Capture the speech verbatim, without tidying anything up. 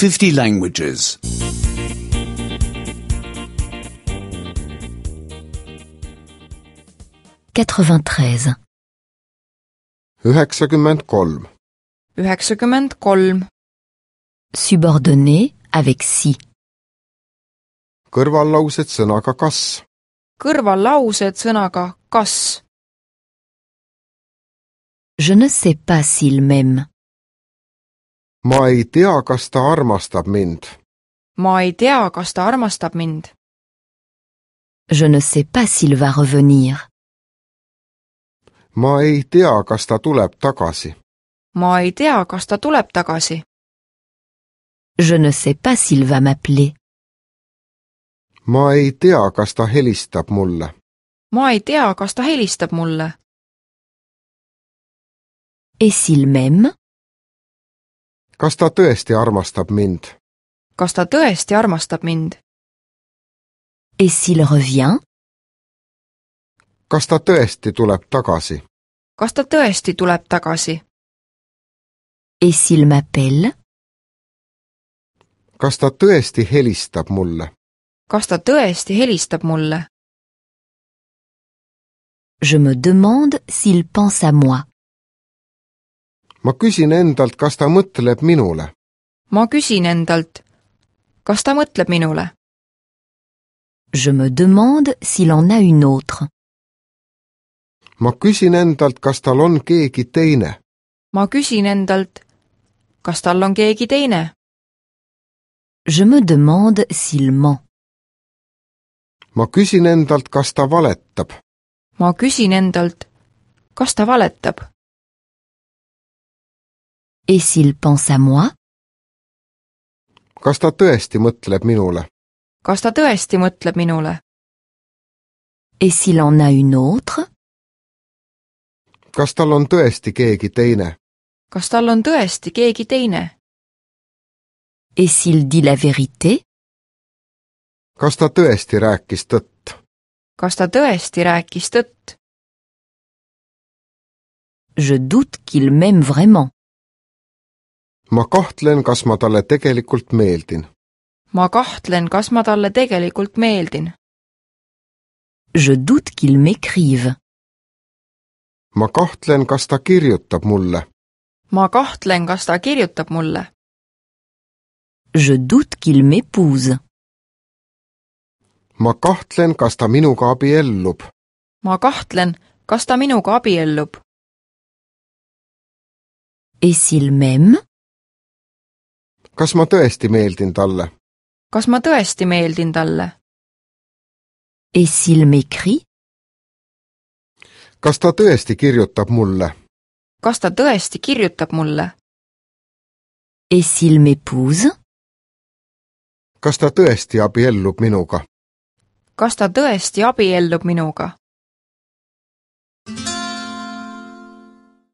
fifty languages. quatre-vingt-treize. üheksakümmend kolm. üheksakümmend kolm. Subordonné avec si. Kõrvallaused sõnaga kas. Kõrvallaused sõnaga kas. Je ne sais pas s'il m'aime. Ma ei tea, kas ta armastab mind. Ma ei tea, kas ta armastab mind. Je ne sais pas s'il va revenir. Ma ei tea, kas ta tuleb tagasi. Ma ei tea, kas ta tuleb tagasi. Je ne sais pas s'il va m'appeler. Ma ei tea, kas ta helistab mulle. Ma ei tea, kas ta helistab mulle. Et s'il m'aime? Kas ta tõesti armastab mind? Kas ta tõesti armastab mind? Et s'il revient? Kas ta tõesti tuleb tagasi? Kas ta tõesti tuleb tagasi? Et s'il m'appelle? Kas ta tõesti helistab mulle? Kas ta tõesti helistab mulle? Je me demande s'il pense à moi. Ma küsin endalt, kas ta mõtleb minule. Ma küsin endalt, kas ta mõtleb minule? Je me demande s'il en a une autre. Ma küsin endalt, kas tal on keegi teine. Ma küsin endalt, kas tal on keegi teine? Je me demande s'il ment. Ma küsin endalt, kas ta valetab. Ma küsin endalt, kas ta valetab? Et s'il pense à moi? Kas ta tõesti mõtleb minule? Kas ta tõesti mõtleb minule? Et s'il en a une autre? Kas tal on tõesti keegi teine? Kas tal on tõesti keegi teine? Et s'il dit la vérité? Kas ta tõesti rääkis tõtt? Kas ta tõesti rääkis tõtt? Je doute qu'il m'aime vraiment. Ma kahtlen, kas ma talle tegelikult meeldin. Ma kahtlen, kas ma talle tegelikult meeldin. Je doute qu'il m'écrive. Ma kahtlen, kas ta kirjutab mulle. Ma kahtlen, kas ta kirjutab mulle. Je doute qu'il m'épouse. Ma kahtlen, kas ta minuga abiellub. Ma kahtlen, kas ta minuga abiellub. Et s'il m'aime? Kas ma tõesti meeldin talle? Kas ma tõesti meeldin talle? Et s'il m'écrit? Kas ta tõesti kirjutab mulle? Kas ta tõesti kirjutab mulle? Et s'il m'épouse? Kas ta tõesti abiellub minuga? Kas ta tõesti abiellub minuga?